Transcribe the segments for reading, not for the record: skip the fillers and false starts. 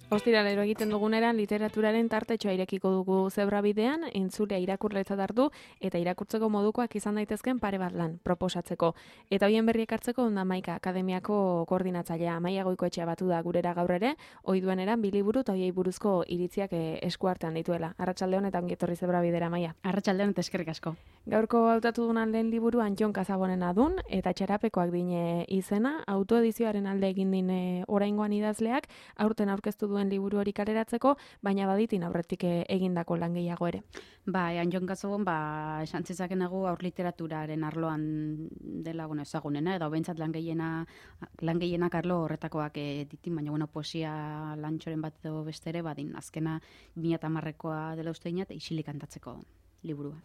Ostiralero egiten duguneran literaturaren tartetxoa irekiko dugu zebrabidean, entzulea irakurletzat hartu eta irakurtzeko modukoak izan daitezken pare bat lan proposatzeko. Eta hoien berriek hartzeko Onda Maika Akademiako koordinatzailea Amaia Goikoetxea batu da gurera gaur ere, ohi dueneran bi liburu eta hoiei buruzko iritziak eskuartean dituela. Arratsaldeon eta ongi etorri zebrabidera, Amaia. Arratsaldeon eta eskerrik asko. Gaurko hautatu dunan lehen liburuan Jon Kasabonen adun eta Txarapekoak dine izena, autoedizioaren alde egin dine oraingoan idazleak, aurten aurkeztu duen liburu hori kaleratzeko, baina baditin aurretik egindako lan gehiago ere. Jon Kasabon, esan zezakenago aur literaturaren arloan dela ezagunena, edo behintzat lan gehienak arlo horretakoak ditin, baina poesia lantxoren bat edo bestere, badin azkena 2010koa dela uste dinat, isilik kantatzeko liburua.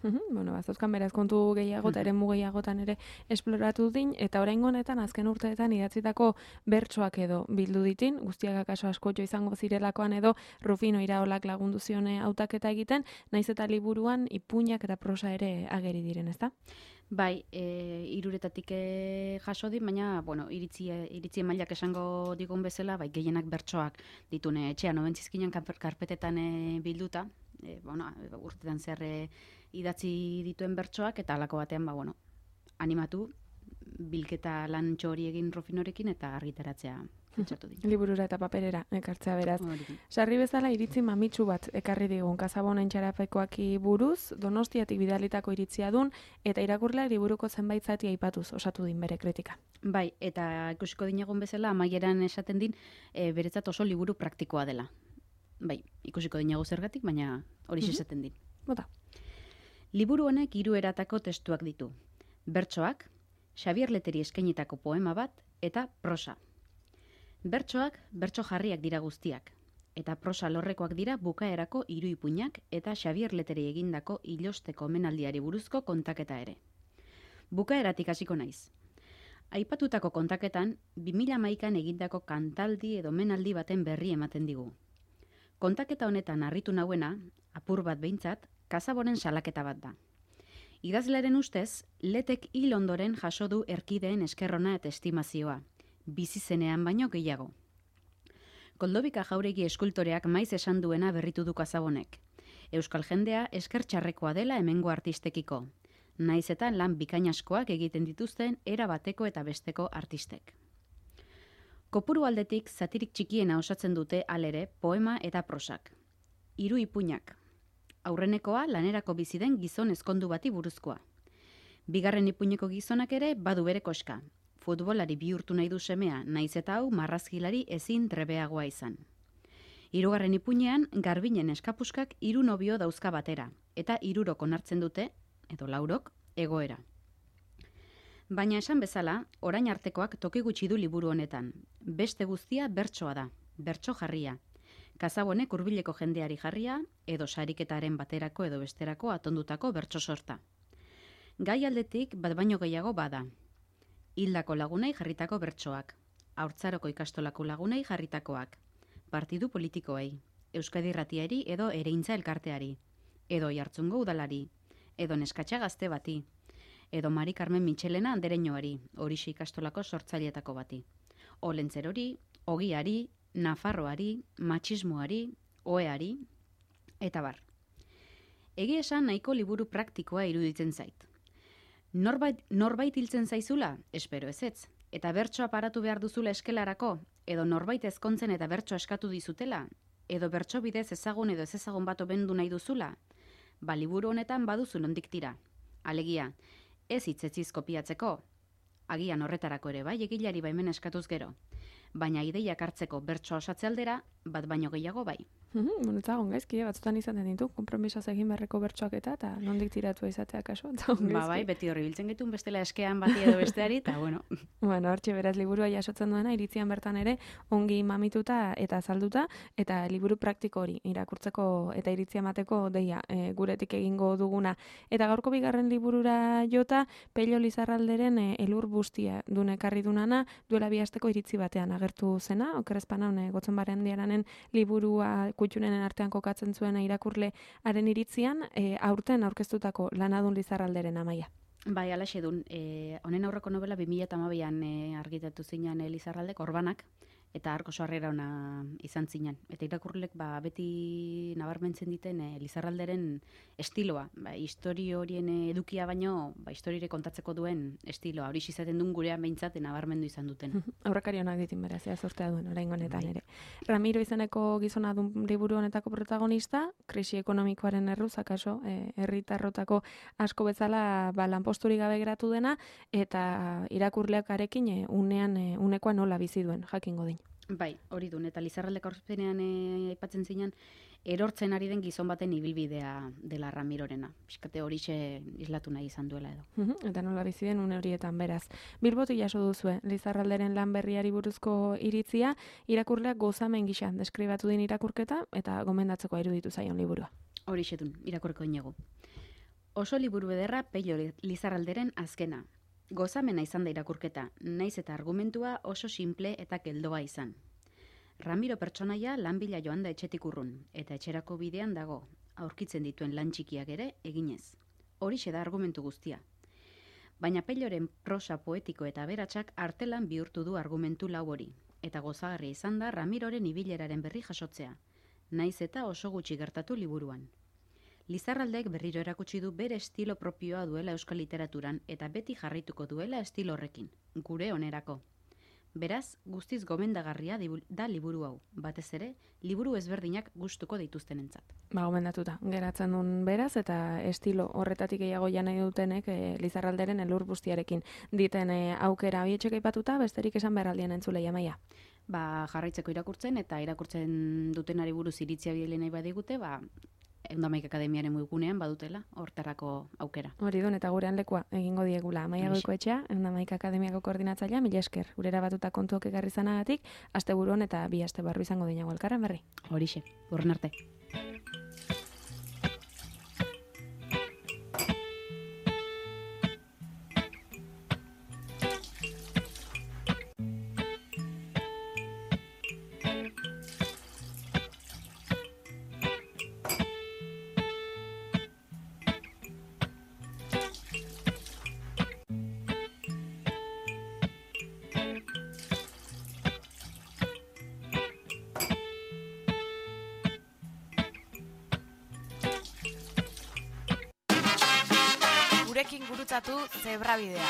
Zauzkan beraz kontu gehiago eta eremu gehiagotan ere esploratu din, eta oraingo honetan azken urteetan idatzitako bertsoak edo bildu ditin, guztiak akaso askotxo izango zirelakoan edo Rufino Iraolak lagundu zione hautaketa egiten, naiz eta liburuan ipuinak eta prosa ere ageri diren, ezta? Bai, hiruretatik jaso din, baina, iritzi mailak esango digun bezala, gehienak bertsoak ditune etxean, obentzizkinan karpetetan bilduta, urtetan zer idatzi dituen bertsoak, eta halako batean, animatu, bilketa lan hori egin Rufinorekin eta argitaratzea pentsatu din. Liburura eta paperera ekartzea beraz. Sarri bezala iritzi mamitsu bat ekarri digun Kasabonen Txarapekoaki buruz, Donostiatik bidalitako iritzia dun, eta irakurleak liburuko zenbait zati aipatuz osatu din bere kritika. Bai, eta ikusiko dinagun bezala, amaieran esaten din, beretzat oso liburu praktikoa dela. Bai, ikusiko dinagu zergatik, baina hori esaten din. Bota. Liburu honek 3 eratako testuak ditu. Bertsoak, Xabier Leteri eskainitako poema bat, eta prosa. Bertsoak, bertso jarriak dira guztiak, eta prosa lorrekoak dira bukaerako 3 ipuinak eta Xabier Leteri egindako ilosteko omenaldiari buruzko kontaketa ere. Bukaeratik hasiko naiz. Aipatutako kontaketan, 2011an egindako kantaldi edo omenaldi baten berri ematen digu. Kontaketa honetan harritu nauena, apur bat behintzat, Kasabonen salaketa bat da. Idazlearen ustez, Letek hil ondoren jaso du erkideen eskerrona eta estimazioa, bizi zenean baino gehiago. Koldobika Jauregi eskultoreak maiz esan duena berritu du Kasabonek. Euskal jendea esker txarrekoa dela hemengo artistekiko, naiz eta lan bikainaskoak egiten dituzten era bateko eta besteko artistek. Kopuru aldetik zatirik txikiena osatzen dute alere poema eta prosak. 3 ipuinak. Aurrenekoa lanerako bizi den gizon ezkondu bati buruzkoa. Bigarren ipuineko gizonak ere badu bere koska. Futbolari bihurtu nahi du semea, naiz eta hau marrazgilari ezin trebeagoa izan. 3. ipuinean Garbinen eskapuskak 3 nobio dauzka batera, eta 3 onartzen dute, edo 4, egoera. Baina esan bezala, orain artekoak toki gutxi du liburu honetan. Beste guztia bertsoa da, bertso jarria. Kasabonek hurbileko jendeari jarria, edo sariketaren baterako edo besterako atondutako bertso sorta. Gai aldetik bat baino gehiago bada. Hildako lagunei jarritako bertsoak, haurtzaroko ikastolako lagunei jarritakoak, partidu politikoei, Euskadi Irratiari edo Ereintza elkarteari, edo Oiartzungo udalari, edo Neskatxa gazte bati, edo Mari Carmen Mitxelena andereñoari, Horixe ikastolako sortzaileetako bati, Olentzerori, Ogiari, Nafarroari, matxismoari, oeari, eta bar. Egia esan nahiko liburu praktikoa iruditzen zait. Norbait hiltzen zaizula? Espero ezetz. Eta bertsoa paratu behar duzula eskelarako? Edo norbait ezkontzen eta bertso eskatu dizutela? Edo bertso bidez ezagun edo ez ezagun bat obendu nahi duzula? Liburu honetan baduzu nondik tira. Alegia, ez hitzetziz kopiatzeko. Agian horretarako ere bai egilari baimen eskatuz gero. Baina ideiak hartzeko bertsoa osatze aldera, bat baino gehiago bai. Etzagon gaizki, batzutan izaten ditu, konpromisaz egin beharreko bertsoak eta nondik tiratu izatea kaso. Bai, beti horri biltzen getun bestela eskean bati edo besteari, eta bueno. Hortxe beraz liburua jasotzen duena, iritzian bertan ere, ongi mamituta eta azalduta, eta liburu praktiko hori irakurtzeko eta iritzia emateko deia guretik egingo duguna. Eta gaurko bigarren liburura jota, Pello Lizarralderen elur bustia dune ekarri dunana, duela 2 asteko iritzi batean agertu zena, okerrezpanan gotzen barendiaranen liburua kutxunenen artean kokatzen zuen irakurlearen iritzian, aurten aurkeztutako lanadun Lizarralderen, Amaia. Bai, alaxe dun. Honen aurreko novela 2012an argitatu zinan Lizarraldek, Orbanak, eta arko sarrera ona izan zinen. Eta irakurlek beti nabarmentzen diten Lizarralderen estiloa. Historio horien edukia baino, historire kontatzeko duen estiloa. Hori izaten duen gurean behintzat nabarmendu izan duten. Aurrekari honak ditin beraz, zortea duen oraingo honetan ere. Ramiro izeneko gizona dun liburu honetako protagonista, krisi ekonomikoaren erruz, akaso, herritarrotako asko bezala lanposturik gabe geratu dena, eta irakurleak arekin unekoa nola bizi duen, jakingo din. Bai, hori duen, eta Lizarraldeko aurkezpenean aipatzen zinan, erortzen ari den gizon baten ibilbidea dela Ramirorena. Piskate horixe islatu nahi izan duela edo. Eta nola bizi den une horietan beraz. Bilbotik jaso duzue, Lizarralderen lan berriari buruzko iritzia, irakurleak gozamen gisa deskribatu din irakurketa, eta gomendatzeko iruditu zaion liburua. Horixe duen, irakurko inegu. Oso liburu ederra Pello Lizarralderen azkena. Gozamena izan da irakurketa, naiz eta argumentua oso simple eta keldoa izan. Ramiro pertsonaia lan bila joan da etxetik urrun, eta etxerako bidean dago, aurkitzen dituen lan txikiak ere eginez. Horixe da argumentu guztia. Baina Pelloren prosa poetiko eta aberatsak artelan bihurtu du argumentu lau hori, eta gozagarria izan da Ramiroren ibileraren berri jasotzea, naiz eta oso gutxi gertatu liburuan. Lizarraldek berriro erakutsi du bere estilo propioa duela euskal literaturan eta beti jarraituko duela estilo horrekin, gure onerako. Beraz, guztiz gomendagarria da liburu hau, batez ere, liburu ezberdinak gustuko dituztenentzat. Gomendatuta, geratzen duen beraz, eta estilo horretatik gehiago nahi dutenek Lizarralderen elur bustiarekin diten aukera bietxek aipatuta, besterik esan beharraldien entzulei Amaia. Jarraitzeko irakurtzen, eta irakurtzen dutenari buruz iritzia bidele nahi badigute, Eundamaik Akademiaren webgunean badutela, hortarako aukera. Hori duen, eta gurean lekua egingo diegula. Amaia Goikoetxea, Eundamaik Akademiako koordinatzailea, mila esker. Gurera batuta kontuok ekarri zanagatik, asteburuan eta 2 aste barru izango dinago elkarren berri. Horixe, urren arte. Gurekin gurutzatu Zebrabidea.